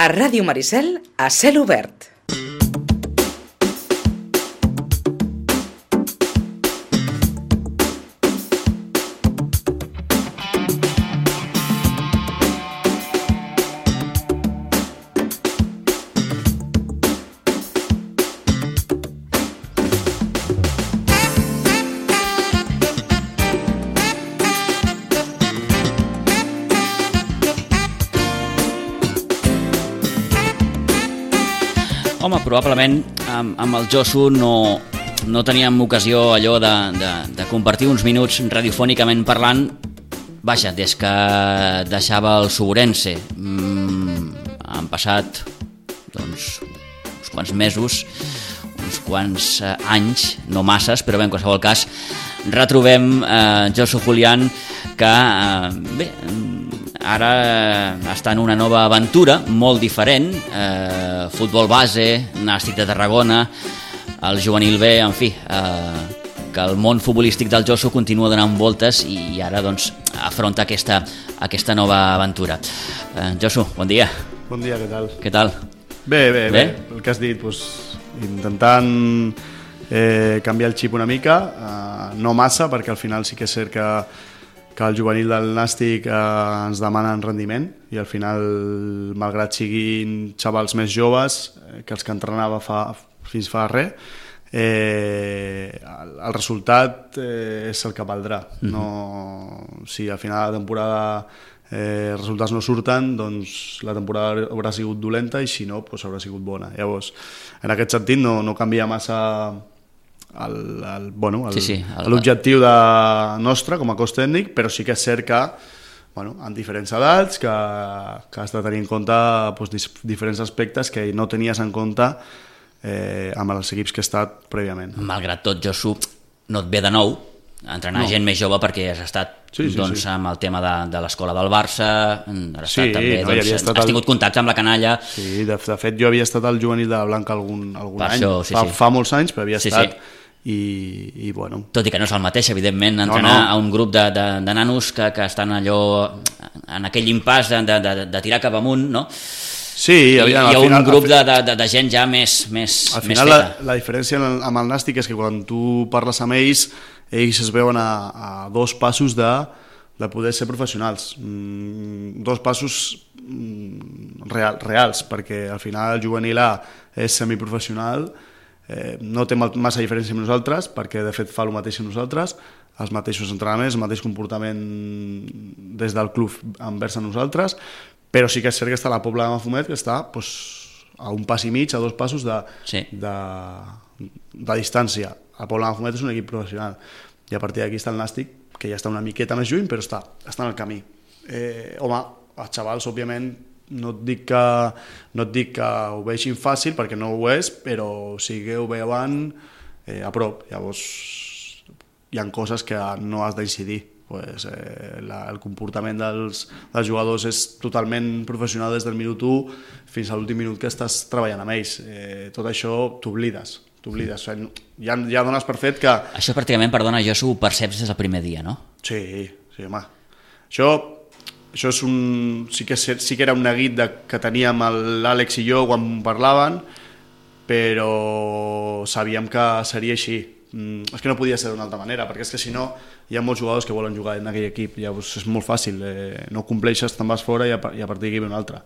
A Ràdio Maricel, a cel obert. Home, probablement amb el Josu no teníem ocasió allò de compartir uns minuts radiofònicament parlant, vaja, des que deixava el Suburense. Han passat doncs, uns quants mesos, uns quants anys, no masses, però bé, en qualsevol cas, retrobem Josu Julián, que bé, ara està en una nova aventura molt diferent, futbol base, Nàstic de Tarragona, el juvenil B, en fi, que el món futbolístic del Josu continua donant voltes i ara doncs afronta aquesta nova aventura. Josu, bon dia. Bon dia, què tal? Què tal? Bé, el que has dit, doncs, intentant canviar el xip una mica, no massa, perquè al final sí que és cert que el juvenil del Nàstic ens demanen rendiment i al final, malgrat siguin xavals més joves que els que entrenava fins fa res, el resultat és el que valdrà. Si al final de la temporada els resultats no surten, doncs la temporada haurà sigut dolenta i si no, doncs haurà sigut bona. Llavors, en aquest sentit no canvia massa l'objectiu nostre com a cos tècnic, però sí que és cert que en diferents edats que has de tenir en compte diferents aspectes que no tenies en compte amb els equips que he estat prèviament. Malgrat tot, Josu, no et ve de nou entrenar gent més jove perquè has estat amb el tema de l'escola del Barça, has tingut contacte amb la canalla. Sí, de fet jo havia estat al juvenil de la Blanca algun any, fa molts anys, però havia estat i bueno... Tot i que no és el mateix, evidentment, entrenar a un grup de nanos que estan allò en aquell impàs de tirar cap amunt, no? Sí, hi ha un grup de gent ja més al final feta. La diferència amb el Nàstic és que quan tu parles amb ells es veuen a 2 passos de poder ser professionals, 2 passos reals, perquè al final el juvenil A és semiprofessional, no té massa diferència amb nosaltres, perquè de fet fa el mateix amb nosaltres, els mateixos entrenaments, el mateix comportament des del club envers a nosaltres, però sí que és cert que està la Pobla de Mafumet, que està a un pas i mig, a 2 passos de distància. La Pobla de Mafumet és un equip professional i a partir d'aquí està el Nàstic, que ja està una miqueta més lluny, però està en el camí. Home, els xavals, òbviament, no et dic que ho vegin fàcil, perquè no ho és, però sí que ho veuen a prop. Llavors, hi ha coses que no has d'incidir. El comportament dels jugadors és totalment professional des del minut 1 fins a l'últim minut que estàs treballant amb ells. Tot això t'oblides. Ja dones per fet que... Això pràcticament, perdona, Josu, ho perceps des del primer dia, no? Sí, home. Això és sí que era un neguit que teníem l'Àlex i jo quan parlaven, però sabíem que seria així. És que no podia ser d'una altra manera, perquè és que si no hi ha molts jugadors que volen jugar en aquell equip, llavors és molt fàcil, no compleixes, te'n vas fora i a partir d'aquí ve un altre.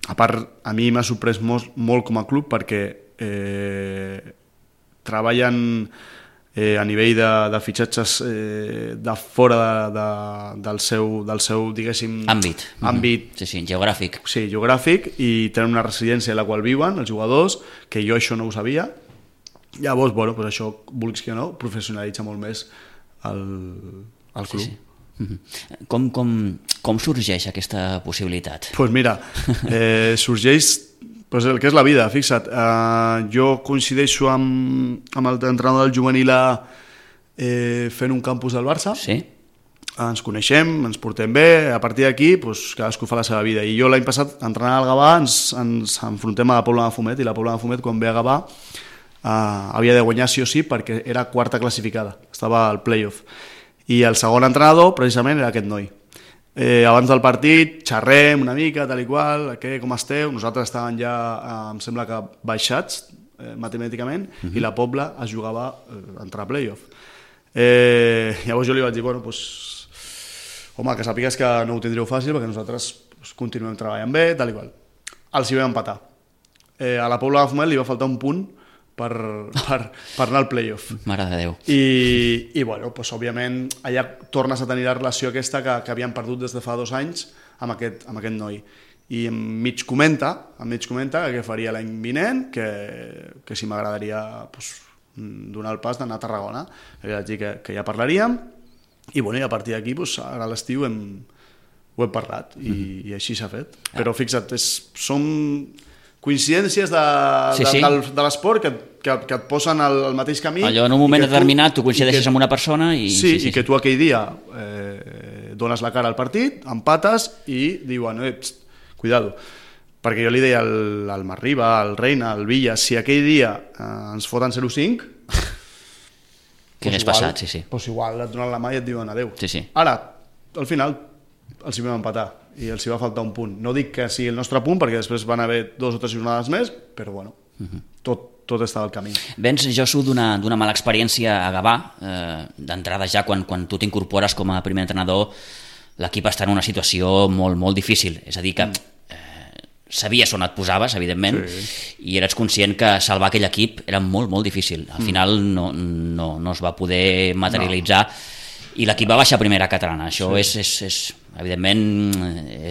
A part, a mi m'ha sorprès molt com a club perquè treballen a nivell de fitxatges de fora del seu diguéssim... Àmbit. Sí, geogràfic. Sí, geogràfic, i tenen una residència a la qual viuen els jugadors, que jo això no ho sabia. Llavors, això, vulguis que no, professionalitza molt més el club. Sí. Com sorgeix aquesta possibilitat? Doncs mira, sorgeix el que és la vida, fixa't. Jo coincideixo amb l'entrenador del juvenil A fent un campus del Barça. Sí. Ens coneixem, ens portem bé, a partir d'aquí cadascú fa la seva vida. I jo l'any passat, entrenant al Gavà, ens enfrontem a la Pobla de Mafumet, i la Pobla de Mafumet, quan ve a Gavà, havia de guanyar sí o sí perquè era quarta classificada, estava al playoff, i el segon entrenador precisament era aquest noi. abans del partit xerrem una mica, tal i qual, com esteu? Nosaltres estàvem ja, em sembla que baixats matemàticament, i la Pobla es jugava a entrar a playoff. Llavors jo li vaig dir, bueno, doncs, home, que sàpigues que no ho tindríeu fàcil perquè nosaltres continuem treballant bé, tal i qual. Els hi vam empatar. A la Pobla de Mafumet li va faltar un punt per anar al playoff. Mare de Déu. I bueno, doncs, òbviament, allà tornes a tenir la relació aquesta que havíem perdut des de fa 2 anys amb aquest noi. I em mig comenta que què faria l'any vinent, que si m'agradaria donar el pas d'anar a Tarragona. Li vaig dir que ja parlaríem, i bueno, a partir d'aquí, ara a l'estiu ho hem parlat, i així s'ha fet. Però fixa't, són coincidències de l'esport que et posen al mateix camí. Allò, en un moment determinat, tu coincideixes amb una persona i... Sí, i que tu aquell dia dones la cara al partit, empates i diuen, cuidado. Perquè jo li deia al Marriba, al Reina, al Villa, si aquell dia ens foten 0-5... Què hagués passat, sí. Doncs igual et donen la mà i et diuen adeu. Sí. Ara, al final, els hi vam empatar i els hi va faltar un punt. No dic que sigui el nostre punt, perquè després van haver 2 o 3 jornades més, però bueno, tot estava al camí. Vens, Josu, d'una mala experiència a Gavà. D'entrada ja, quan tu t'incorpores com a primer entrenador, l'equip està en una situació molt, molt difícil. És a dir, que sabies on et posaves, evidentment, i eres conscient que salvar aquell equip era molt, molt difícil. Al final no es va poder materialitzar, i l'equip va baixar a primera catalana. Això és evidentment,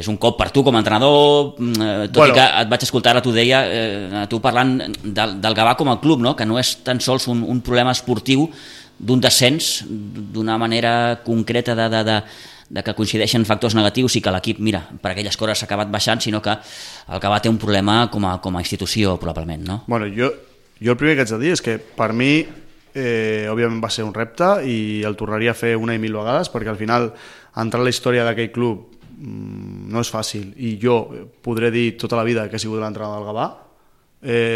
és un cop per tu com a entrenador, tot i que et vaig escoltar, ara t'ho deia, tu parlant del Gavà com a club, no? Que no és tan sols un problema esportiu d'un descens, d'una manera concreta de que coincideixen factors negatius i que l'equip, mira, per aquelles coses s'ha acabat baixant, sinó que el Gavà té un problema com a institució, probablement, no? Bueno, jo el primer que haig de dir és que per mi òbviament va ser un repte i el tornaria a fer una i 1000 vegades, perquè al final entrar a la història d'aquell club no és fàcil, i jo podré dir tota la vida que he sigut l'entrenador del Gavà.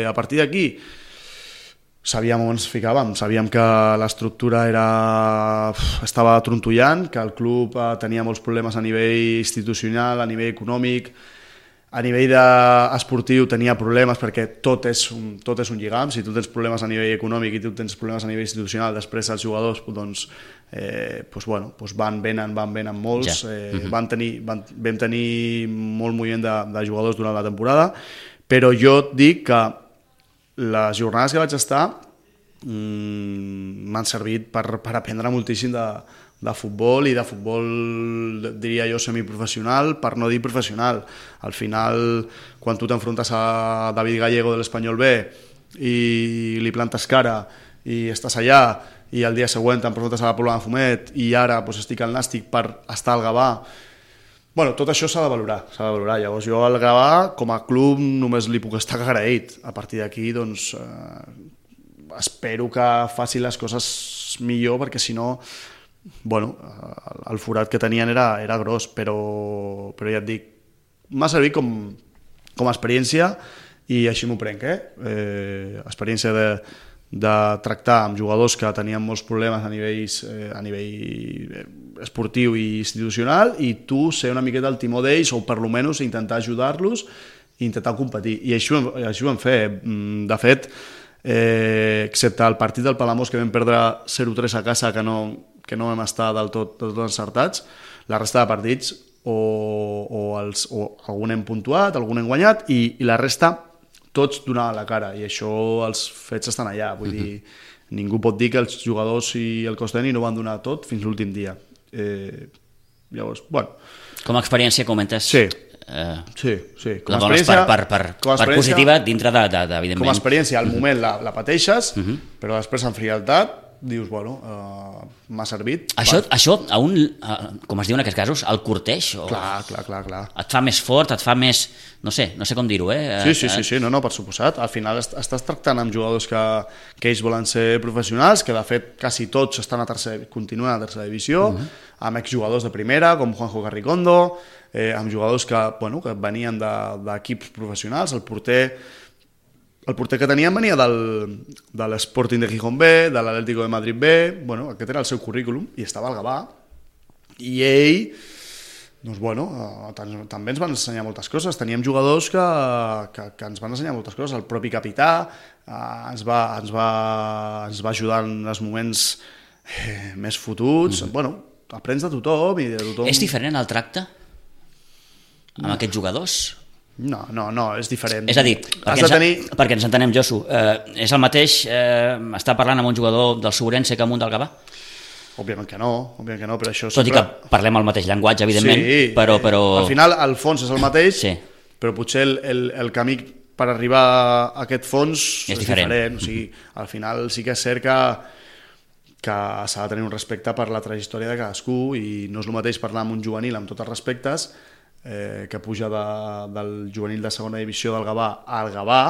A partir d'aquí sabíem on ens ficàvem, sabíem que l'estructura estava trontollant, que el club tenia molts problemes a nivell institucional, a nivell econòmic, a nivell esportiu tenia problemes, perquè tot és un lligam. Si tu tens problemes a nivell econòmic i tu tens problemes a nivell institucional, després els jugadors van venen molts. Vam tenir molt moviment de jugadors durant la temporada, però jo et dic que les jornades que vaig estar m'han servit per aprendre moltíssim de futbol, i de futbol, diria jo, semiprofessional, per no dir professional. Al final, quan tu t'enfrontes a David Gallego de l'Espanyol B i li plantes cara i estàs allà, i el dia següent t'enfrontes a la Pobla de Mafumet i ara estic al Nàstic per estar al Gavà. Bueno, tot això s'ha de valorar. Llavors jo al Gavà, com a club, només li puc estar agraït. A partir d'aquí, doncs, espero que faci les coses millor, perquè si no, bueno, el forat que tenien era gros, però ja et dic, m'ha servit com a experiència, i així m'ho prenc, experiència de tractar amb jugadors que tenien molts problemes a nivell esportiu i institucional, i tu ser una miqueta el timó d'ells, o per almenys intentar ajudar-los i intentar competir. I així ho vam fer. De fet, excepte el partit del Palamós, que vam perdre 0-3 a casa, que no vam estar del tot encertats, la resta de partits o algun hem puntuat, algun hem guanyat, i la resta tots donaven la cara, i això, els fets estan allà. Vull dir, ningú pot dir que els jugadors i el cos tècnic no van donar tot fins l'últim dia. Llavors, bueno... Com a experiència, comentes... Sí. La dones per positiva dintre evidentment... Com a experiència, al moment la pateixes, però després en frialtat dius, bueno, m'ha servit. Això com es diu en aquests casos, el corteix? Clar. Et fa més fort, et fa més... No sé com dir-ho, Sí, no, per suposat. Al final estàs tractant amb jugadors que ells volen ser professionals, que de fet quasi tots continuen a tercera divisió, amb exjugadors de primera, com Juanjo Carricondo, amb jugadors que venien d'equips professionals. El porter que teníem venia de l'Sporting de Gijón B, de l'Atlético de Madrid B, aquest era el seu currículum, i estava al Gavà, i ell Doncs bueno, també ens van ensenyar moltes coses. Teníem jugadors que ens van ensenyar moltes coses. El propi capità ens va ajudar en els moments més fotuts. Bueno, aprens de tothom i de tothom. És diferent el tracte amb aquests jugadors? No, és diferent. És a dir, perquè ens entenem, Josu, és el mateix estar parlant amb un jugador del Segurense que amb un del Gavà? Òbviament que no, però això... Tot i que parlem el mateix llenguatge, evidentment, sí, però... Al final, el fons és el mateix, sí. Però potser el camí per arribar a aquest fons és diferent. O sigui, al final sí que és cert que s'ha de tenir un respecte per la trajectòria de cadascú i no és el mateix parlar amb un juvenil amb tots els respectes que puja del juvenil de segona divisió del Gavà al Gavà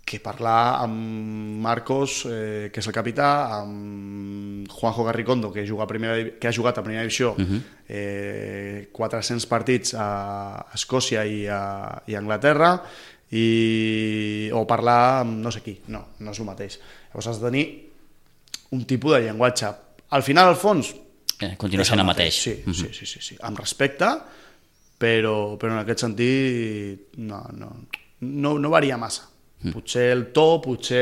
que parlar amb Marcos, que és el capità, amb Juanjo Garricondo, que ha jugat a primera divisió 400 partits a Escòcia i a Anglaterra, o parlar amb no sé qui. No és el mateix. Llavors has de tenir un tipus de llenguatge. Al final, al fons... Continua sent el mateix. Sí, amb respecte, però en aquest sentit no varia massa. Potser el to, potser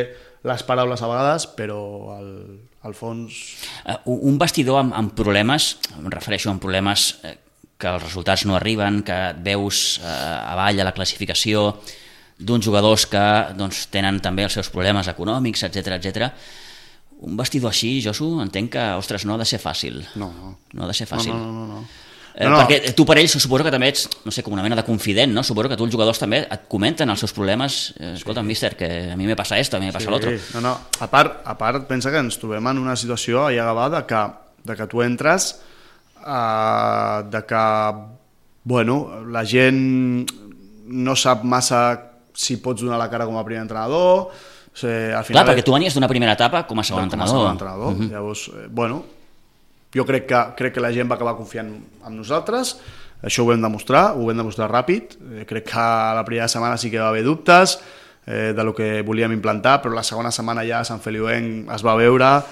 les paraules a vegades, però al fons... Un vestidor amb problemes, em refereixo a problemes que els resultats no arriben, que et veus avall a la classificació d'uns jugadors que tenen també els seus problemes econòmics, etc. Un vestidor així, Josu, entenc que, ostres, no ha de ser fàcil. No ha de ser fàcil. No. Perquè tu per ells suposo que també ets, no sé, com una mena de confident, no? Suposo que tu els jugadors també et comenten els seus problemes. Escolta, míster, que a mi me passa esto, a mi me passa l'altre. No. A part, pensa que ens trobem en una situació allà a Gavà de que tu entres, de que, bueno, la gent no sap massa si pots donar la cara com a primer entrenador. Al final, clar, perquè tu venies d'una primera etapa com a segon entrenador. Llavors, bueno... Jo crec que la gent va acabar confiant en nosaltres, això ho vam demostrar ràpid, crec que la primera setmana sí que va haver dubtes de lo que volíem implantar, però la segona setmana ja a Sant Feliuenc es va veure,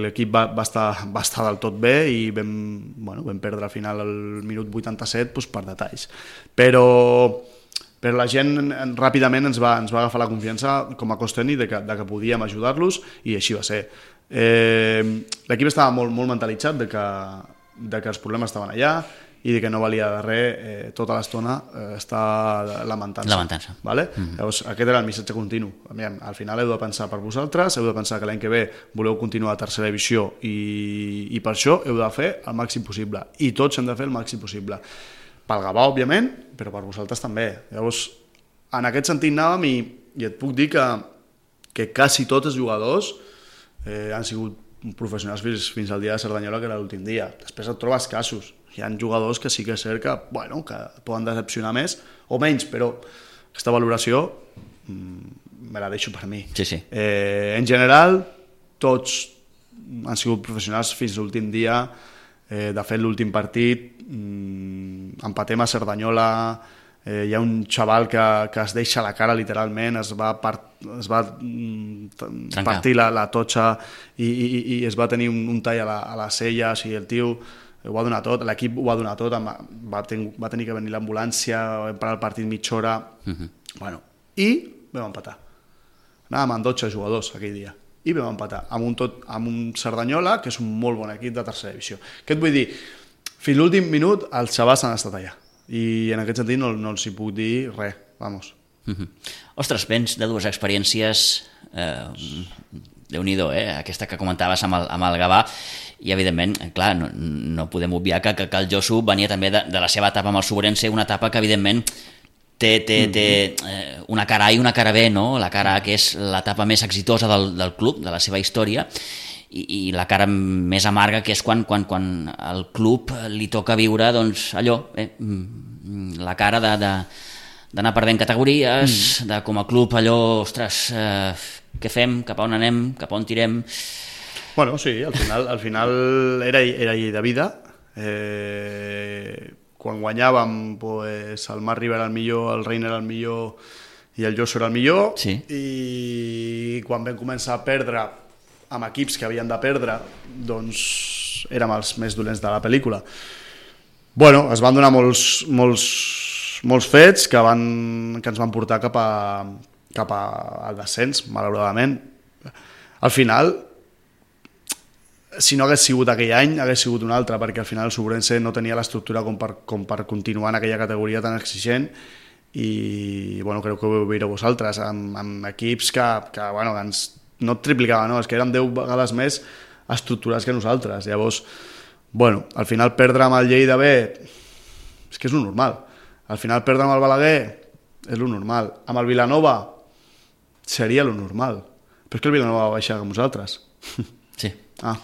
l'equip va estar del tot bé i vam perdre al final el minut 87 per detalls. Però la gent ràpidament ens va agafar la confiança com a cos tècnic de que podíem ajudar-los i així va ser. L'equip estava molt mentalitzat de que els problemes estaven allà i de que no valia de res tota l'estona estar lamentant-se. Vale? Llavors, aquest era el missatge continu. Al final heu de pensar per vosaltres, heu de pensar que l'any que ve voleu continuar a tercera divisió i per això heu de fer el màxim possible i tots hem de fer el màxim possible. Pel Gavà, òbviament, però per vosaltres també. Llavors, en aquest sentit anàvem i et puc dir que quasi tots els jugadors han sigut professionals fins al dia de Cerdanyola, que era l'últim dia. Després et trobes casos. Hi ha jugadors que sí que és cert que poden decepcionar més o menys, però aquesta valoració me la deixo per mi. Sí. En general, tots han sigut professionals fins a l'últim dia. De fet, l'últim partit empatem a Cerdanyola, hi ha un xaval que es deixa la cara literalment, es va partir la totxa i es va tenir un tall a les celles i el tio ho va donar tot, l'equip ho va donar tot, va tenir que venir l'ambulància, vam parar el partit mitja hora, i vam empatar. Anàvem amb 12 jugadors aquell dia i vam empatar amb un Cerdanyola, que és un molt bon equip de tercera divisió. Què et vull dir? Fins l'últim minut els xavals han estat allà i en aquest sentit no els hi puc dir res, vamos. Ostres, vens de dues experiències Déu-n'hi-do, aquesta que comentaves amb el Gavà, i evidentment, clar, no podem obviar que el Josu venia també de la seva etapa amb el Segurense, una etapa que evidentment té una cara A i una cara B, no? La cara A, que és l'etapa més exitosa del club, de la seva història, i la cara més amarga, que és quan al club li toca viure, doncs, allò, la cara d'anar perdent categories, de com a club allò, ostres, què fem, cap a on anem, cap a on tirem... Bueno, sí, al final era llei de vida. Quan guanyàvem, pues, el Marc Riba era el millor, el Reina era el millor i el Josu era el millor, sí. I quan vam començar a perdre amb equips que havien de perdre, doncs érem els més dolents de la pel·lícula. Bueno, es van donar molts fets que ens van portar cap al descens, malauradament. Al final, si no hagués sigut aquell any, hagués sigut un altre, perquè al final el Subrense no tenia l'estructura com per continuar en aquella categoria tan exigent i bueno, crec que ho veureu vosaltres, amb equips que bueno, no et triplicaven, no? És que eren 10 vegades més estructurats que nosaltres. Llavors, bueno, al final perdre amb el Lleida B és que és lo normal. Al final perdre amb el Balaguer és lo normal. Amb el Vilanova seria lo normal. Però és que el Vilanova va baixar amb nosaltres. Sí. Ah.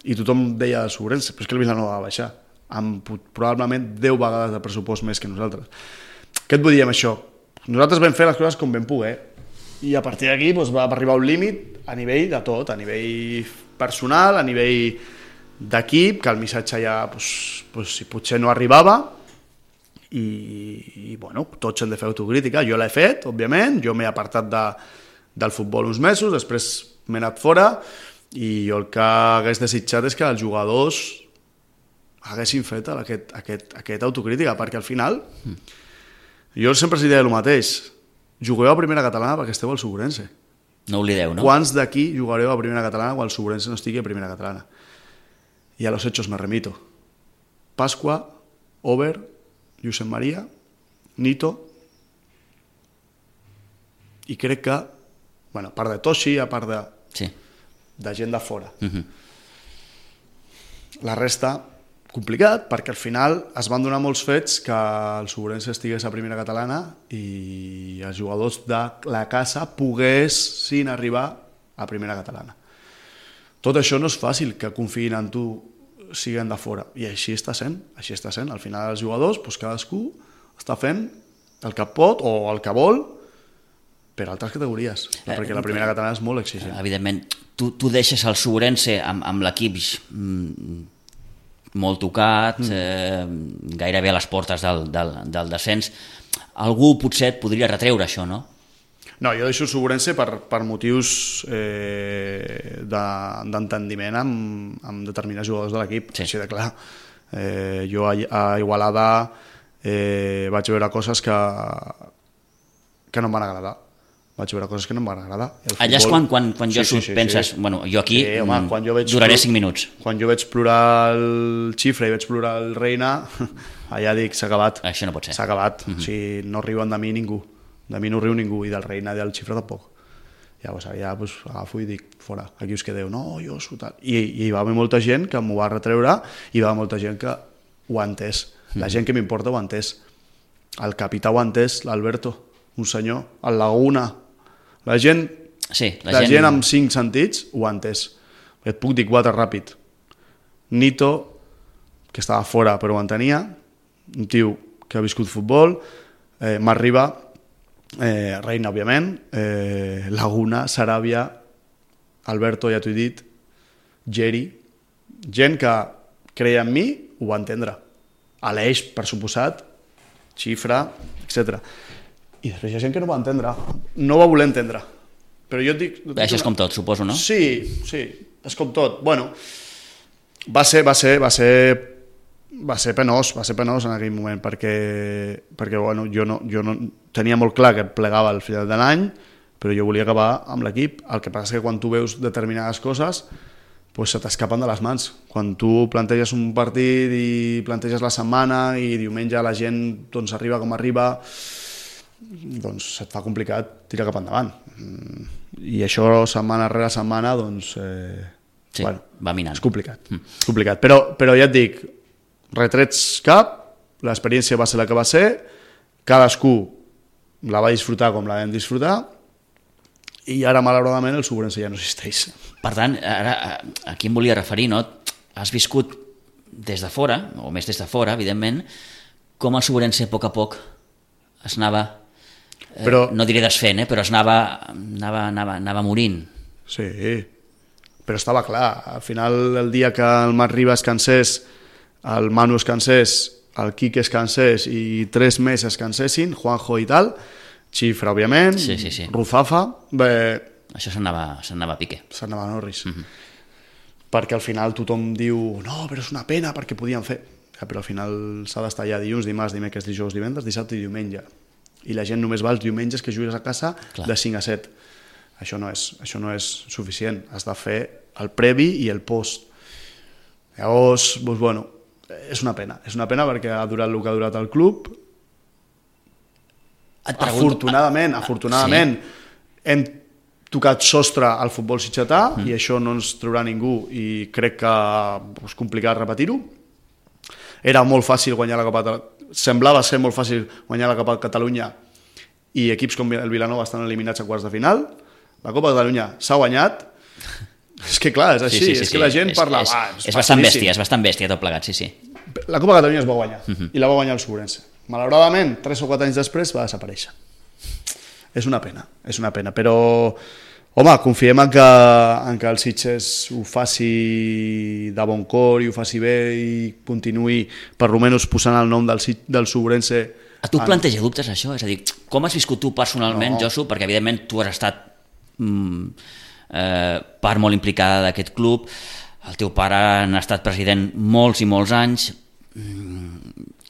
I tothom deia el Subrense, però és que el Vilanova va baixar amb probablement 10 vegades de pressupost més que nosaltres. Què et vull dir amb això? Nosaltres vam fer les coses com vam poder i a partir d'aquí doncs, va arribar un límit a nivell de tot, a nivell personal, a nivell d'equip, que el missatge ja si potser no arribava i bueno, tots hem de fer autocrítica. Jo l'he fet, òbviament, jo m'he apartat del futbol uns mesos, després m'he anat fora i jo el que hagués desitjat és que els jugadors haguessin fet aquesta autocrítica, perquè al final jo sempre els deia el mateix, jugueu a primera catalana perquè esteu al Subrense. No oblideu, no? Quants d'aquí jugareu a primera catalana quan el Subrense no estigui a primera catalana? Y a los hechos me remito. Pasqua, Over, Josep Maria, Nito, i crec que, bueno, a part de Toshi, a part de gent de fora. La resta, complicat, perquè al final es van donar molts fets que el Subrense estigués a primera catalana i els jugadors de la casa poguessin arribar a primera catalana. Tot això no és fàcil que confiïn en tu siguin de fora, i així està sent. Al final els jugadors, doncs cadascú està fent el que pot o el que vol per altres categories, perquè la primera catalana és molt exigent. Evidentment, tu deixes el Subrense amb l'equip molt tocat, gairebé a les portes del descens. Algú potser et podria retreure això, no? No, jo deixo el Subrense per motius d'entendiment amb determinats jugadors de l'equip, així de clar. Jo a Igualada vaig veure coses que no em van agradar. Allà és quan penses, bueno, jo aquí duraré 5 minuts. Quan jo veig plorar el Xifra i veig plorar el Reina, allà dic, s'ha acabat. Això no pot ser. S'ha acabat. O sigui, no riuen de mi ningú. De mi no riu ningú, i del Reina i del Xifra tampoc. Llavors allà agafo i dic, fora, aquí us quedeu. No, jo sóc tal. I hi va haver molta gent que m'ho va retreure i hi va haver molta gent que ho ha entès. La gent que m'importa ho ha entès. El capità ho ha entès, l'Alberto, un senyor, el Laguna. La gent amb 5 sentits ho ha entès. Et puc dir 4 ràpid. Nito, que estava fora però ho entenia, un tio que ha viscut futbol, Marriba, Reina, òbviament, Laguna, Saràbia, Alberto, ja t'ho he dit, Geri, gent que creia en mi, ho va entendre. Aleix, per suposat, Xifra, etc. I després hi ha gent que no va entendre, no va voler entendre. Però jo et dic... Això és com tot, suposo, no? Sí, és com tot. Bueno, va ser penós en aquell moment, perquè bueno, jo no tenia molt clar que plegava al final de l'any, però jo volia acabar amb l'equip. El que passa és que quan tu veus determinades coses, pues se t'escapen de les mans. Quan tu planteges un partit i planteges la setmana i diumenge la gent doncs, arriba com arriba, doncs se't fa complicat tirar cap endavant. I això setmana rere setmana doncs, bueno, va minant. És complicat. Però ja et dic, retrets cap, l'experiència va ser la que va ser, cadascú la va disfrutar com la vam disfrutar, i ara malauradament el Subrense ja no existeix. Per tant, ara aquí em volia referir, no? Has viscut des de fora, o més des de fora, evidentment, com el Subrense a poc es anava, no diré desfent, però es anava morint. Sí, però estava clar. Al final, el dia que el Marc Ribas es cansés, el Manu es cansés, el Quique es cansés i 3 més es cansessin, Juanjo i tal, Xifra, òbviament, Ruzafa... Això s'anava a pique. S'anava a Norris. Perquè al final tothom diu no, però és una pena perquè podien fer... però al final s'ha d'estar allà dilluns, dimarts, dimecres, dijous, divendres, dissabte i diumenge. I la gent només va els diumenges que jugues a casa de 5 a 7. Això no és suficient. Has de fer el previ i el post. Llavors, doncs, bueno, és una pena perquè ha durat el que ha durat el club. Afortunadament, hem tocat sostre al futbol sitgetà i això no ens traurà ningú i crec que és complicat repetir-ho. Era molt fàcil guanyar la Copa semblava ser molt fàcil guanyar la Copa de Catalunya i equips com el Vilanova estan eliminats a quarts de final. La Copa de Catalunya s'ha guanyat. És que clar, és així, és que la gent parla... És bastant bèstia tot plegat, sí. La Copa de Catalunya es va guanyar i la va guanyar el Sobrense. Malauradament, 3 o 4 anys després va desaparèixer. És una pena, però home, confiem en que el Sitges ho faci de bon cor i ho faci bé i continuï per almenys posant el nom del Sobrense. A tu et planteja dubtes això? És a dir, com has viscut tu personalment, Josu? Perquè evidentment tu has estat part molt implicada d'aquest club, el teu pare n'ha estat president molts i molts anys,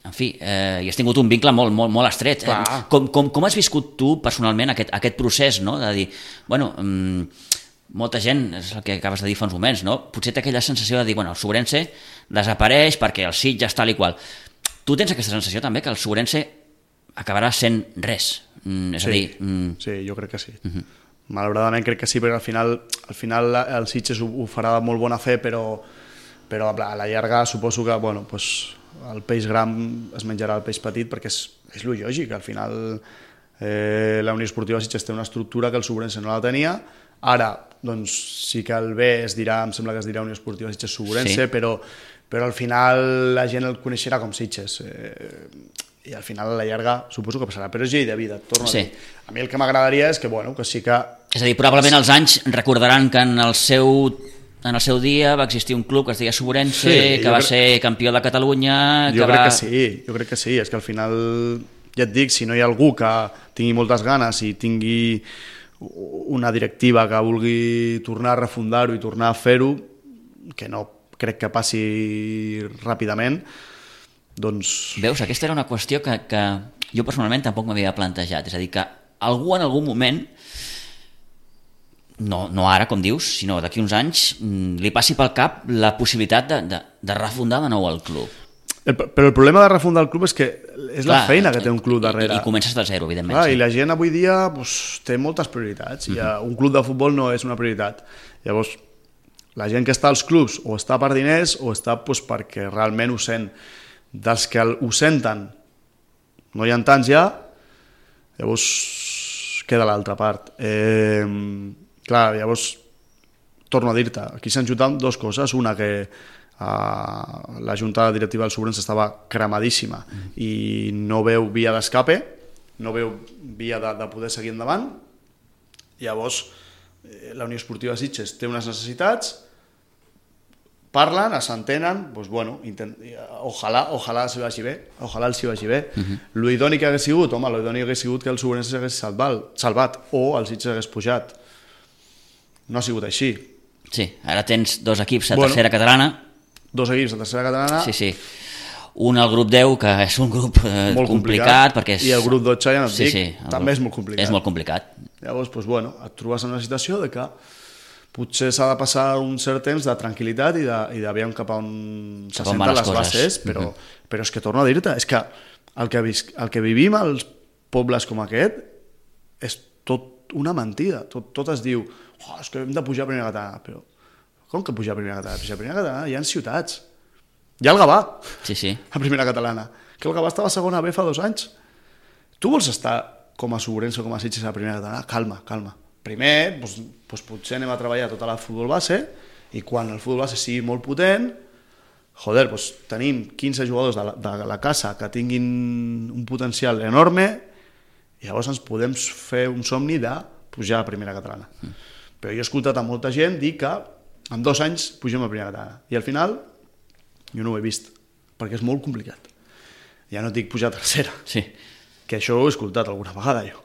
en fi, i has tingut un vincle molt estret. Com has viscut tu personalment aquest procés, no? De dir, bueno, molta gent, és el que acabes de dir fa uns moments, no? Potser té aquella sensació de dir, bueno, el Sobrense desapareix perquè el Sitges tal i qual. Tu tens aquesta sensació també que el Sobrense acabarà sent res? És a dir... Sí, jo crec que sí. Malauradament crec que sí, perquè al final el Sitges ho farà de molt bona fe, però a la llarga suposo que el peix gran es menjarà el peix petit, perquè és lo lògic. Al final la Unió Esportiva Sitges té una estructura que el Sobrense no la tenia. Ara, doncs, sí que el B em sembla que es dirà Unió Esportiva Sitges Sobrense, però al final la gent el coneixerà com Sitges. I al final a la llarga suposo que passarà, però és llei de vida, torno a dir. A mi el que m'agradaria és que sí que... És a dir, probablement els anys recordaran que en el seu dia va existir un club que es deia Sobrense, que va ser campió de Catalunya... Jo crec que sí, és que al final, ja et dic, si no hi ha algú que tingui moltes ganes i tingui una directiva que vulgui tornar a refundar-ho i tornar a fer-ho, que no crec que passi ràpidament, doncs... Veus, aquesta era una qüestió que jo personalment tampoc m'havia plantejat, és a dir, que algú en algun moment, no ara, com dius, sinó d'aquí uns anys, li passi pel cap la possibilitat de refundar de nou el club. Però el problema de refundar el club és que és la feina que té un club darrere. I comences de zero, evidentment. Clar, i la gent avui dia té moltes prioritats. Un club de futbol no és una prioritat. Llavors, la gent que està als clubs o està per diners o està perquè realment ho sent. Dels que ho senten no hi ha tants ja, llavors queda l'altra part. Clar, llavors torno a dir-te, aquí s'han juntat dues coses, una que la junta directiva del Sobrense estava cremadíssima i no veu via d'escape, no veu via de poder seguir endavant. Llavors la Unió Esportiva Sitges té unes necessitats, parlen, s'entenen, doncs bueno, ojalà s'hi vagi bé, ojalà els hi vagi bé. L'idoni que hagués sigut, l'idoni hagués sigut que el Sobrense s'hagués salvat o el Sitges hagués pujat. No ha sigut així. Sí, ara tens dos equips a tercera catalana. Dos equips a tercera catalana. Sí. Un al grup 10, que és un grup molt complicat, perquè i el grup 12, ja no et dic, també és molt complicat. És molt complicat. Llavors, doncs bueno, et trobes en una situació de que potser s'ha de passar un cert temps de tranquil·litat i de veure cap a on se senten les bases, però és que torno a dir-te, és que el que vivim als pobles com aquest és tot una mentida, tot es diu és que hem de pujar a primera catalana, però com que pujar a primera catalana? A primera catalana hi ha ciutats, hi ha el Gavà a primera catalana, que el Gavà estava a segona B fa 2 anys. Tu vols estar com a Sobrense o com a Sitges a primera catalana? Calma. Primer, doncs potser anem a treballar tota la futbol base i quan el futbol base sigui molt potent, doncs tenim 15 jugadors de la casa que tinguin un potencial enorme i llavors ens podem fer un somni de pujar a primera catalana. Però jo he escoltat a molta gent dir que en 2 anys pugem a primera catalana i al final jo no ho he vist perquè és molt complicat. Ja no et dic pujar a tercera, que això ho he escoltat alguna vegada jo.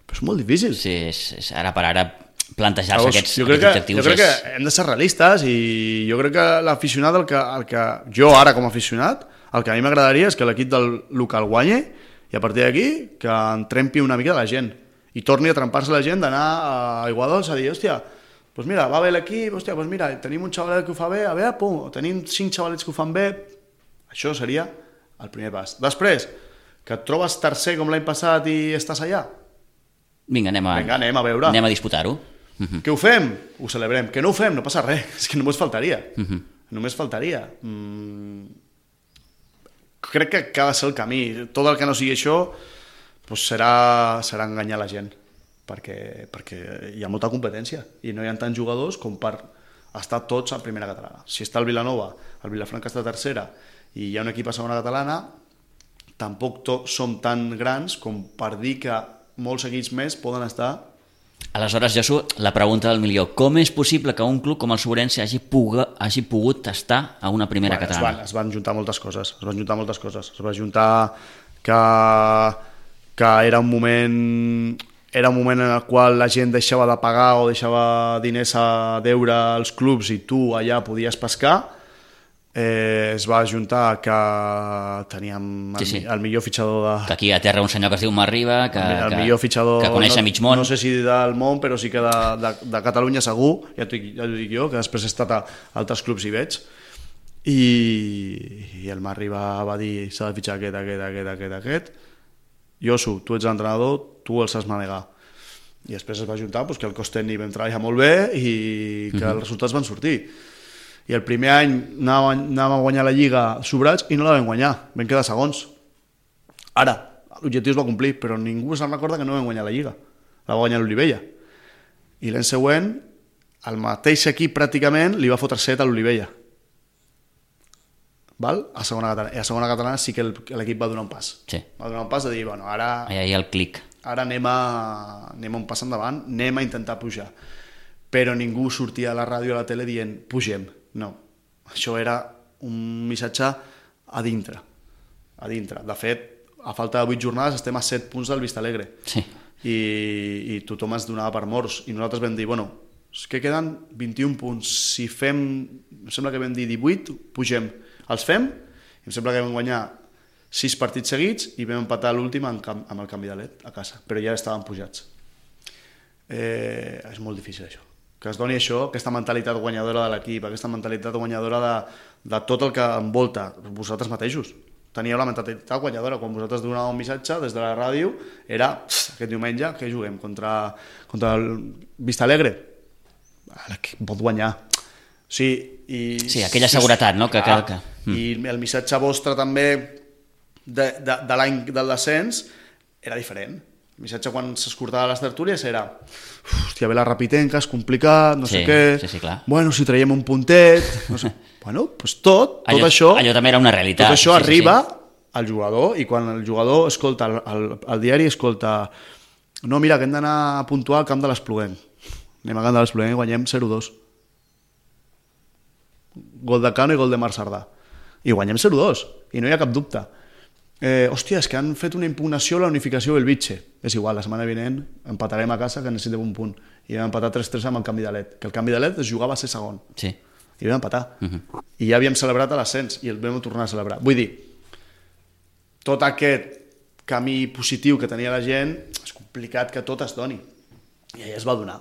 Però és molt difícil. Sí, ara per ara plantejar-se aquests objectius. Jo crec que hem de ser realistes i jo crec que l'aficionat, el que jo ara com a aficionat, el que a mi m'agradaria és que l'equip del local guanyi i a partir d'aquí que en trempi una mica de la gent i torni a trempar-se la gent d'anar a Aiguadols a dir, hòstia, doncs mira, va bé l'equip, hòstia, doncs mira, tenim un xavalet que ho fa bé, a veure, pum, tenim 5 xavalets que ho fan bé, això seria el primer pas. Després, que et trobes tercer com l'any passat i estàs allà, Vinga, anem a veure. Anem a disputar-ho. Que ho fem? Ho celebrem. Que no ho fem? No passa res. És que només faltaria. Només faltaria. Crec que ha de ser el camí. Tot el que no sigui això doncs serà enganyar la gent. Perquè hi ha molta competència i no hi ha tants jugadors com per estar tots a primera catalana. Si està el Vilanova, el Vilafranca està a tercera i hi ha un equip a segona catalana, tampoc som tan grans com per dir que molts equips més poden estar. Aleshores, Josu, la pregunta del milió. Com és possible que un club com el Sobrense hagi pogut estar a una primera catalana? Es van juntar moltes coses. Es va juntar que era un moment en el qual la gent deixava de pagar o deixava diners a deure als clubs i tu allà podies pescar. Es va ajuntar que teníem el millor fitxador que aquí a terra un senyor que es diu Marriba el millor fitxador que coneix a mig món, no sé si del món però sí que de Catalunya segur, ja t'ho dic jo, que després he estat a altres clubs i veig i el Marriba va dir s'ha de fitxar aquest Josu, tu ets l'entrenador, tu els has manegar i després es va ajuntar que el cos tècnic vam treballar molt bé i que els resultats van sortir. I el primer any anàvem a guanyar la Lliga sobrats i no la vam guanyar, vam quedar segons. Ara, l'objectiu es va complir, però ningú se'n recorda que no vam guanyar la Lliga. La va guanyar l'Olivella. I l'any següent, el mateix equip pràcticament li va fotre 7 a l'Olivella. A segona catalana sí que l'equip va donar un pas. Sí. Va donar un pas de dir, bueno, ara... Allà hi ha el clic. Ara anem un pas endavant, anem a intentar pujar. Però ningú sortia a la ràdio o a la tele dient, pugem. No, això era un missatge a dintre. De fet, a falta de 8 jornades estem a 7 punts del Vistalegre. Sí. I tothom es donava per morts. I nosaltres vam dir, bueno, és que queden 21 punts. Si fem, em sembla que vam dir 18, pugem. Els fem, i em sembla que vam guanyar 6 partits seguits i vam empatar l'últim amb el canvi de led a casa. Però ja estàvem pujats. És molt difícil això. Que es doni això, aquesta mentalitat guanyadora de l'equip, aquesta mentalitat guanyadora de tot el que envolta vosaltres mateixos. Teníeu la mentalitat guanyadora, quan vosaltres donàveu un missatge des de la ràdio, era aquest diumenge, que juguem? Contra el Vistalegre? L'equip pot guanyar. Sí, aquella seguretat, no? I el missatge vostre també de l'any del descens era diferent. El missatge quan s'escortava les tertúlies era hòstia, ve la Rapitenca, és complicat, no sé què. Sí, clar. Bueno, si traiem un puntet... No sé. Bueno, doncs tot això... Allò també era una realitat. Tot això arriba al jugador i quan el jugador escolta, el diari escolta no, mira, que hem d'anar a puntuar al camp de l'Espluguenc. Anem al camp de l'Espluguenc i guanyem 0-2. Gol de Cano i gol de Marc Sardà. I guanyem 0-2. I no hi ha cap dubte. Hòstia, és que han fet una impugnació a la unificació del Vitxe. És igual, la setmana vinent empatarem a casa que necessitem un punt. I vam empatar 3-3 amb el canvi de led. Que el canvi de led es jugava a ser segon. Sí. I vam empatar. I ja havíem celebrat l'ascens i el vam tornar a celebrar. Vull dir, tot aquest camí positiu que tenia la gent, és complicat que tot es doni. I allà es va donar.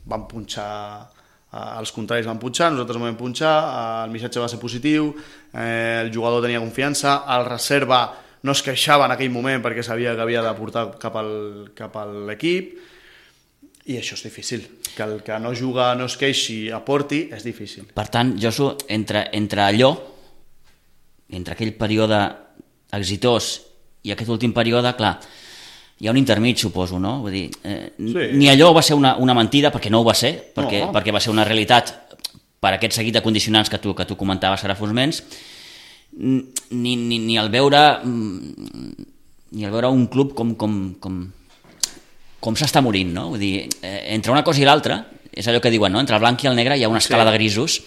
Van punxar... els contraris van punxar, nosaltres vam punxar, el missatge va ser positiu, el jugador tenia confiança, el reserva no es queixava en aquell moment perquè sabia que havia de portar cap a l'equip, i això és difícil. Que el que no juga, no es queixi, aporti, és difícil. Per tant, Josu, entre aquell període exitós i aquest últim període, clar, hi ha un intermig, suposo, no? Vull dir, ni allò va ser una mentida, perquè no ho va ser, perquè va ser una realitat per aquest seguit de condicionants que tu comentaves ara fa uns moments, ni al veure un club com s'està morint, no? Vull dir, entre una cosa i l'altra, és allò que diuen, no? Entre el blanc i el negre hi ha una escala de grisos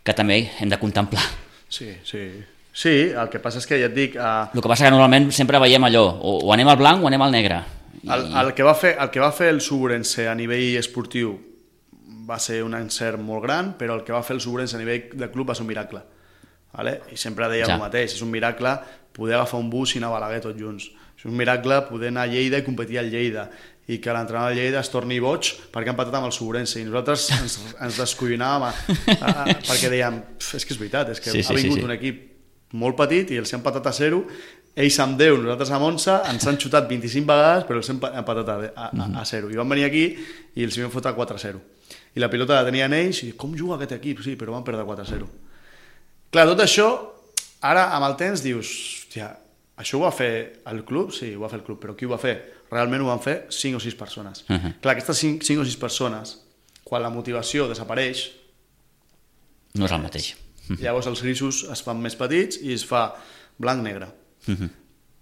que també hem de contemplar. Sí, el que passa és que ja et dic... El que passa que normalment sempre veiem allò, o anem al blanc o anem al negre, El que va fer el Suburense a nivell esportiu va ser un encert molt gran, però el que va fer el Suburense a nivell de club va ser un miracle. Vale? I sempre deia el mateix, és un miracle poder agafar un bus i anar a Balaguer tots junts. És un miracle poder anar a Lleida i competir al Lleida i que l'entrenador de Lleida es torni boig perquè ha empatat amb el Suburense i nosaltres ens descollonàvem perquè dèiem, és que és veritat, és que ha vingut un equip molt petit i els ha empatat a 0, ells amb 10, nosaltres amb 11, ens han xutat 25 vegades però els hem empatat a 0 i van venir aquí i els vam fotre 4-0 i la pilota la tenien ells i com juga aquest equip? Sí, però van perdre 4-0. Clar, tot això, ara amb el temps dius, hòstia, això ho va fer el club? Sí, ho va fer el club, però qui ho va fer? Realment ho van fer 5 o 6 persones. Clar, aquestes 5 o 6 persones, quan la motivació desapareix... No és el mateix. Llavors els grisos es fan més petits i es fa blanc-negre.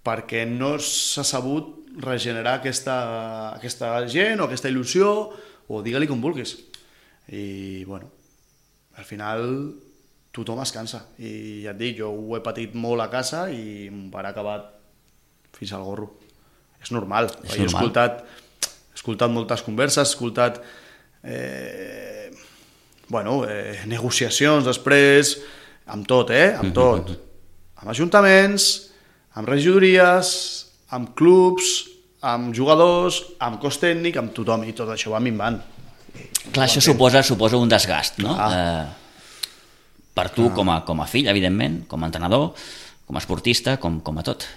Perquè no s'ha sabut regenerar aquesta gent o aquesta il·lusió, o digue-li com vulguis. I, bueno, al final... tothom es cansa i ja et dic, jo ho he patit molt a casa i em va acabar fins al gorro. És normal. Jo he escoltat moltes converses, he escoltat negociacions després, amb tot, amb tot. Amb ajuntaments, amb regidories, amb clubs, amb jugadors, amb cos tècnic, amb tothom, i tot això va minvant. Clar, això suposa un desgast, no? Per tu com a fill, evidentment, com a entrenador, com a esportista, com a tot.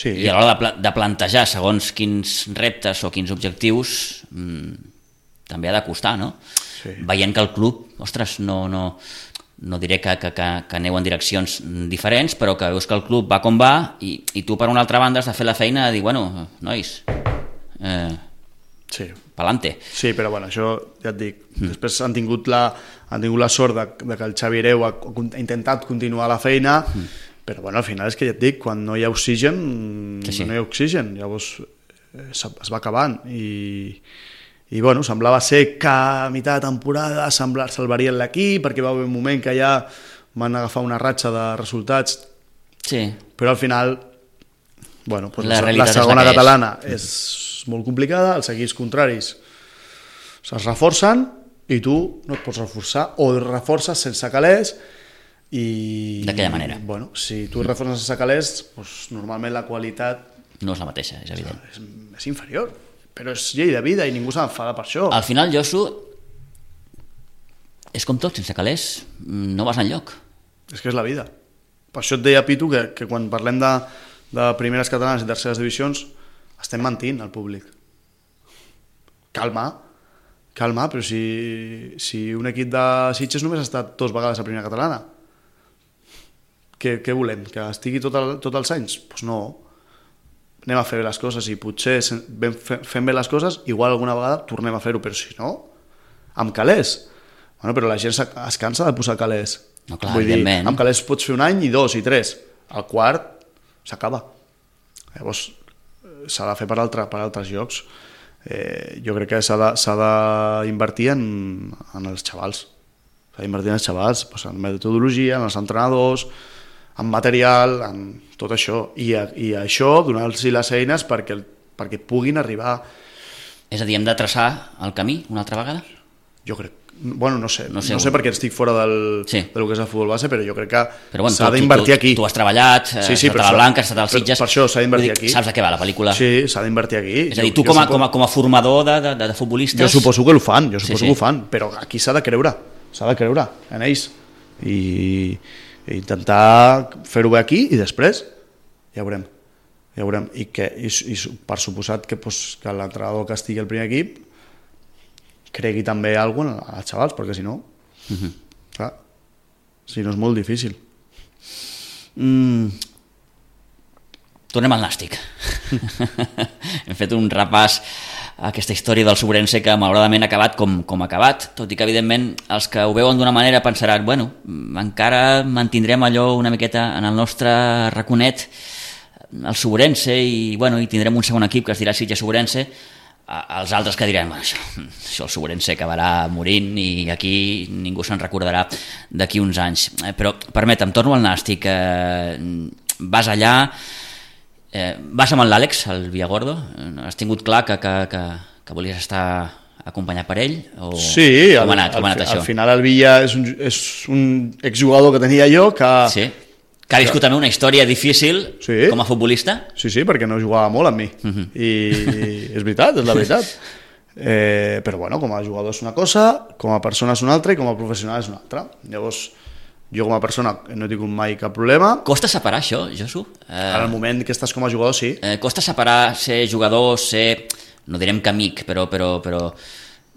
I a l'hora de plantejar segons quins reptes o quins objectius també ha de costar, no? Veient que el club, ostres, no diré que aneu en direccions diferents, però que veus que el club va com va i tu per una altra banda has de fer la feina de dir, bueno, nois... Palante. Sí, però bueno, això ja et dic. Després han tingut la sort de que el Xavi Hereu ha intentat continuar la feina, però bueno, al final és que ja et dic, quan no hi ha oxigen, no hi ha oxigen, llavors es va acabant i bueno, semblava ser que a meitat de temporada salvarien l'equip perquè va haver un moment que ja van agafar una ratxa de resultats, però al final bueno, la segona catalana és molt complicada, els equips contraris es reforcen i tu no et pots reforçar o reforces sense calés i... D'aquella manera. Bueno, si tu reforces sense calés, doncs, normalment la qualitat... No és la mateixa, és evident. És inferior, però és llei de vida i ningú s'ha d'enfadar per això. Al final, Josu, és com tot, sense calés no vas enlloc. És que és la vida. Per això et deia, Pitu, que quan parlem de primeres catalanes i terceres divisions estem mentint al públic. Calma, però si un equip de Sitges només ha estat 2 vegades a primera catalana, què volem? Que estigui tots els anys? Doncs no. Anem a fer bé les coses i potser fem bé les coses, igual alguna vegada tornem a fer-ho, però si no, amb calés. Bueno, però la gent es cansa de posar calés. No, clar, vull dir, amb calés pots fer 1 any i 2 i 3. El quart s'acaba. Llavors s'ha de fer per altres llocs. Jo crec que s'ha d'invertir en els xavals. S'ha d'invertir en els xavals, en metodologia, en els entrenadors, en material, en tot això. I això, donar-los les eines perquè puguin arribar. És a dir, hem de traçar el camí una altra vegada? Jo crec. Bueno, no sé perquè estic fora del que és el futbol base, però jo crec que s'ha d'invertir aquí. Tu has treballat, has estat a la Blanca, has estat als Sitges... Per això s'ha d'invertir aquí. Saps de què va la pel·lícula? Sí, s'ha d'invertir aquí. És a dir, tu com a formador de futbolistes... Jo suposo que ho fan, que ho fan, però aquí s'ha de creure en ells. I intentar fer-ho bé aquí i després ja veurem. I per suposat que l'entrenador que estigui al primer equip cregui també alguna cosa als xavals, perquè si no, clar, si no és molt difícil. Tornem al Nàstic. Hem fet un repàs a aquesta història del Suburense que malauradament ha acabat com ha acabat, tot i que evidentment els que ho veuen d'una manera pensaran, bueno, encara mantindrem allò una miqueta en el nostre raconet, el Suburense, i tindrem un segon equip que es dirà Sitges Suburense. Els altres que diran, bueno, això el Suburense acabarà morint i aquí ningú se'n recordarà d'aquí uns anys. Però permetem, torno al Nàstic, vas allà, Vas amb l'Àlex, el Villargordo? Has tingut clar que volies estar acompanyat per ell? O Sí, com ha anat això? al final el Villa és un exjugador que tenia jo que... Sí, que ha viscut també una història difícil com a futbolista. Sí, perquè no jugava molt amb mi. I és veritat, és la veritat. Però bueno, com a jugador és una cosa, com a persona és una altra i com a professional és una altra. Llavors, jo com a persona no he tingut mai cap problema. Costa separar això, Josu? En el moment que estàs com a jugador, sí. Costa separar ser jugador, ser, no direm que amic, però és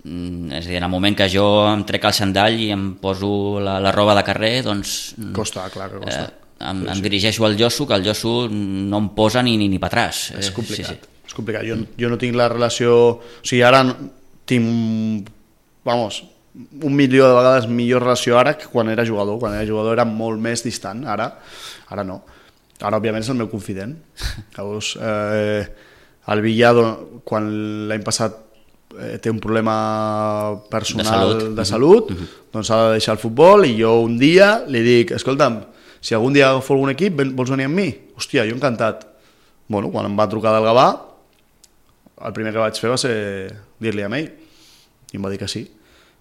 a dir, en el moment que jo em trec el sandall i em poso la roba de carrer, doncs... Costa, clar que costa. Em dirigeixo al Josu, que el Josu no em posa ni per atràs. És complicat. Sí. És complicat. Jo no tinc la relació... O sigui, ara tinc, vamos, 1 milió de vegades millor relació ara que quan era jugador. Quan era jugador era molt més distant, ara no. Ara, òbviament, és el meu confident. Llavors, el Villa, quan l'any passat té un problema personal de salut, doncs ha de deixar el futbol i jo un dia li dic, escolta'm, si algun dia agafo algun equip, vols venir amb mi? Hòstia, jo encantat. Bueno, quan em va trucar del Gavà, el primer que vaig fer va ser dir-li a ell, i em va dir que sí.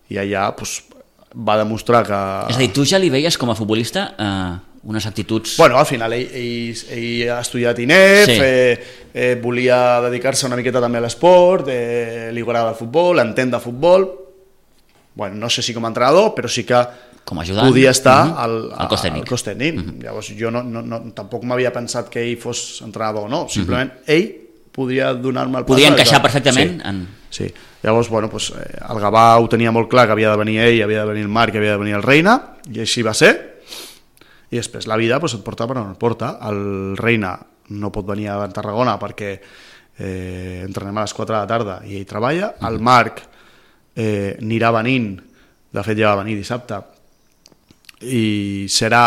I allà doncs, va demostrar que... És a dir, tu ja li veies com a futbolista unes actituds... Bueno, al final ell ha estudiat INEF, volia dedicar-se una miqueta també a l'esport, li agrada el futbol, entén de futbol, bueno, no sé si com a entrenador, però sí que com a ajudant, podia estar al cos tècnic. Llavors jo tampoc m'havia pensat que ell fos entrenador o no, simplement ell podria donar-me el pas. Podia encaixar perfectament. Sí. Llavors, bueno, doncs, el Gavà ho tenia molt clar que havia de venir ell, havia de venir el Marc, havia de venir el Reina, i així va ser. I després la vida doncs, et porta per on et porta. El Reina no pot venir a Tarragona perquè entrenem a les 4 de la tarda i ell treballa. El Marc anirà venint, de fet ja va venir dissabte, i serà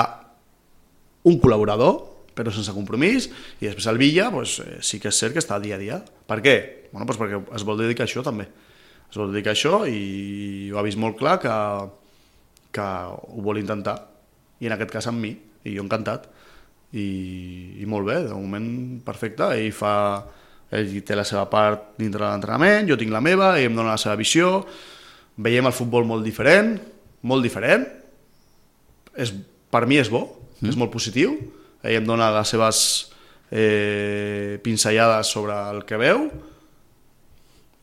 un col·laborador, però sense compromís, i després el Villa doncs, sí que és cert que està dia a dia. Per què? Bueno, doncs perquè es vol dedicar a això també. Es vol dedicar a això i ho ha vist molt clar que ho vol intentar, i en aquest cas amb mi, i jo encantat. I molt bé, de moment perfecte. Ell té la seva part dintre de l'entrenament, jo tinc la meva, ell em dona la seva visió, veiem el futbol molt diferent, per mi és bo, és molt positiu, ell em dona les seves pinzellades sobre el que veu,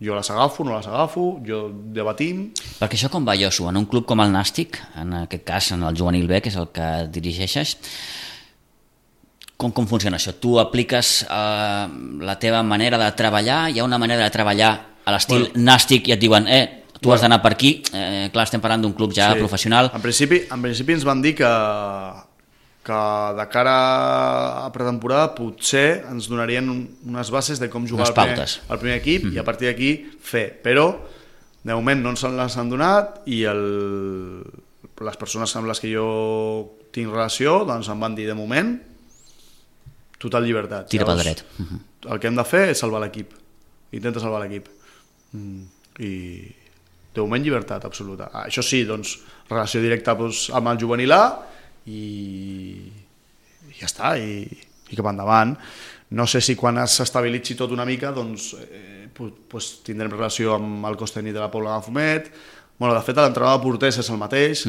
jo les agafo, no les agafo, jo debatim... Perquè això com va, Josu? En un club com el Nàstic, en aquest cas en el Juvenil B, que és el que dirigeixes, com funciona això? Tu apliques la teva manera de treballar, hi ha una manera de treballar a l'estil Nàstic i et diuen tu has d'anar per aquí, clar, estem parlant d'un club ja professional. En principi ens van dir que de cara a pretemporada potser ens donarien unes bases de com jugar el primer equip i a partir d'aquí fer, però de moment no ens les han donat i les persones amb les que jo tinc relació doncs em van dir de moment total llibertat. Tira pel dret. El que hem de fer és salvar l'equip, intenta salvar l'equip i de moment llibertat absoluta. Això sí, doncs, relació directa amb el juvenil A i ja està, i cap endavant. No sé si quan s'estabilitzi tot una mica doncs tindrem relació amb el cos tècnic de la Pobla de Fumet. Bueno, de fet, l'entrenador de porters és el mateix.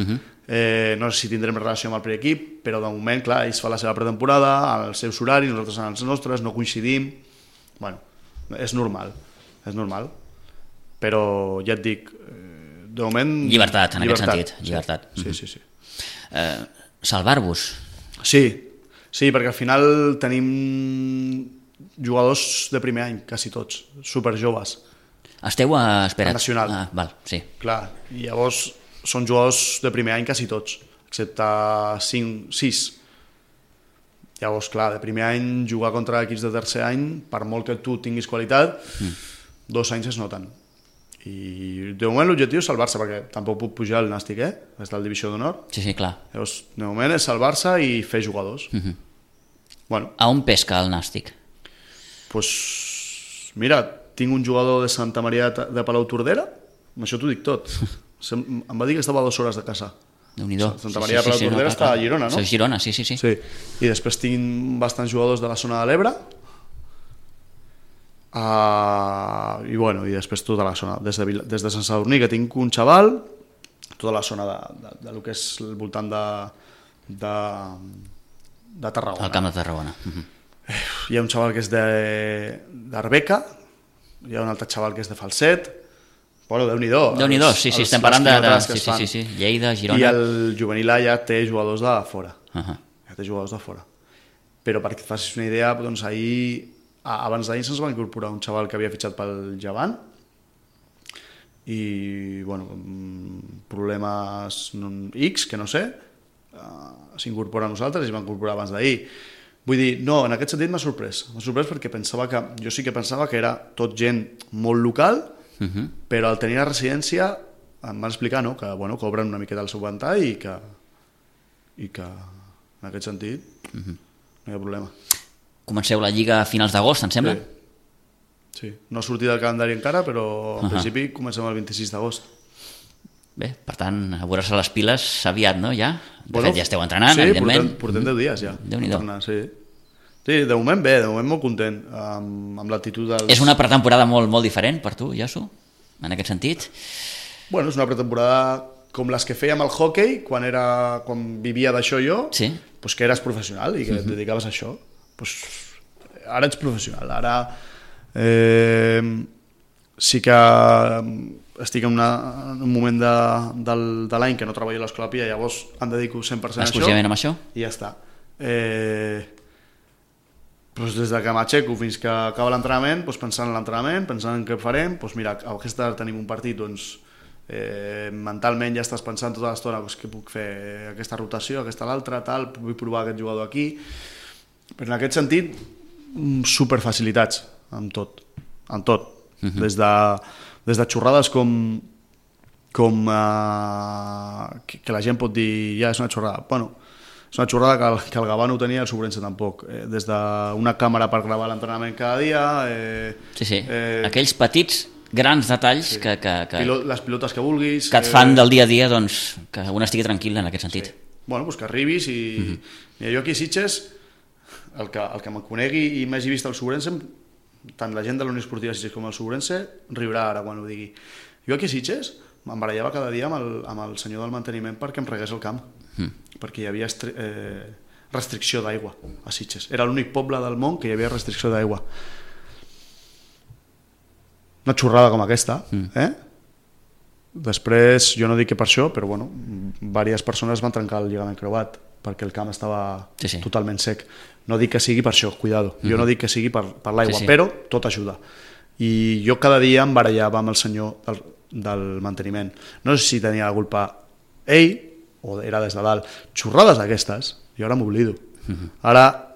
No sé si tindrem relació amb el primer equip, però de moment, clar, ells fan la seva pretemporada, als seus horaris, nosaltres en els nostres, no coincidim. Bueno, és normal. Però ja et dic, de moment... Llibertat, en aquest sentit. Llibertat. Sí. Salvar-vos. Sí, perquè al final tenim jugadors de primer any, quasi tots, superjoves. Esteu a... Espera't. Nacional. Val, sí. Clar, i llavors són jugadors de primer any quasi tots, excepte 6. Llavors, clar, de primer any jugar contra equips de tercer any, per molt que tu tinguis qualitat, 2 anys es noten. I de moment l'objectiu és salvar-se, perquè tampoc puc pujar al Nàstic, des del Divisió d'Honor. Sí, clar. Llavors, de moment és salvar-se i fer jugadors. Bueno. A on pesca el Nàstic? Doncs, mira, tinc un jugador de Santa Maria de Palau Tordera, amb això t'ho dic tot. Em va dir que estava a 2 hores de casa. Déu-n'hi-do. Santa Maria de Palau Tordera està a Girona, no? Sí, Girona, sí. I després tinc bastants jugadors de la zona de l'Ebre, I després tota la zona, des de Sant Sadurní, que tinc un xaval, tota la zona de lo que és el voltant de Tarragona. El Camp de Tarragona. Hi ha un xaval que és d'Arbeca, hi ha un altre xaval que és de Falset. Bueno, Déu-n'hi-do. Déu-n'hi-do, sí, estem parlant de Lleida, Girona. I el juvenil A ja té jugadors de fora. Ja té jugadors de fora. Però perquè et facis una idea, doncs abans d'ahir se'ns va incorporar un xaval que havia fitxat pel Llevant i, problemes X, que no sé, s'incorpora a nosaltres i es va incorporar abans d'ahir. Vull dir, no, en aquest sentit m'ha sorprès. M'ha sorprès perquè jo sí que pensava que era tot gent molt local, però al tenir la residència em van explicar que cobren una miqueta el seu ventall i que en aquest sentit no hi ha problema. Comenceu la Lliga a finals d'agost, em sembla? Sí. No ha sortit el calendari encara, però en principi comencem el 26 d'agost. Bé, per tant, a veure-se les piles aviat, no, ja? De fet, ja esteu entrenant, evidentment. Sí, portem 10 dies ja. Déu-n'hi-do. Sí, de moment bé, de moment molt content amb l'actitud dels... És una pretemporada molt diferent per tu, Josu, en aquest sentit? Bueno, és una pretemporada com les que fèiem al hockey, quan vivia d'això jo, doncs que eres professional i que et dedicaves a això. Ara ets professional, ara sí que estic en un moment de l'any que no treballo a l'Escola Pia, llavors em dedico 100% a això. Exclusivament amb això? I ja està. Des que m'aixeco fins que acaba l'entrenament, pensant en l'entrenament, pensant en què farem, mira, aquesta tarda tenim un partit, mentalment ja estàs pensant tota l'estona què puc fer, aquesta rotació, aquesta l'altra, tal, vull provar aquest jugador aquí. Però en aquest sentit, superfacilitats en tot. Des de xorrades com que la gent pot dir ja és una xorrada. Bueno, és una xorrada que el Gavà no ho tenia i el Sobrense tampoc. Des d'una càmera per gravar l'entrenament cada dia... Sí. Aquells petits, grans detalls que... Les pilotes que vulguis... Que et fan del dia a dia, doncs, que un estigui tranquil en aquest sentit. Bueno, que arribis i... Jo aquí a Sitges, el que me conegui i m'hagi vist al Sobrense, tant la gent de la Unió Esportiva Sitges com el Sobrense riurà ara quan ho digui. Jo aquí a Sitges em barallava cada dia amb el senyor del manteniment perquè em regués el camp, perquè hi havia restricció d'aigua a Sitges. Era l'únic poble del món que hi havia restricció d'aigua. Una xorrada com aquesta, Després, jo no dic que per això, però diverses persones van trencar el lligament creuat perquè el camp estava totalment sec. No dic que sigui per això, cuidado. Jo no dic que sigui per l'aigua, però tot ajuda. I jo cada dia em barallava amb el senyor del manteniment. No sé si tenia la culpa ell o era des de dalt. Xorrades d'aquestes, jo ara m'oblido. Ara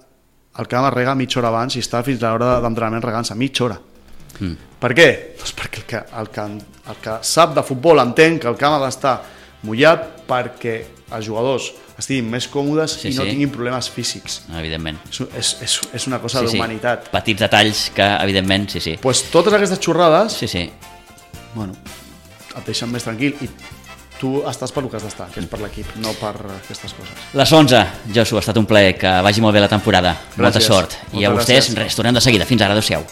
el camp es rega mitja hora abans i està fins a l'hora d'entrenament regant-se mitja hora. Per què? Doncs perquè el que sap de futbol entén que el camp ha d'estar mullat perquè els jugadors estiguin més còmodes i no tinguin problemes físics. Evidentment. És una cosa d'humanitat. Petits detalls que, evidentment, Pues totes aquestes xorrades bueno, et deixen més tranquil i tu estàs per el que has d'estar, que és per l'equip, no per aquestes coses. Les 11, Josu, ha estat un plaer, que vagi molt bé la temporada. Molta sort. I a vostès, res, tornem de seguida. Fins ara, adeu-siau.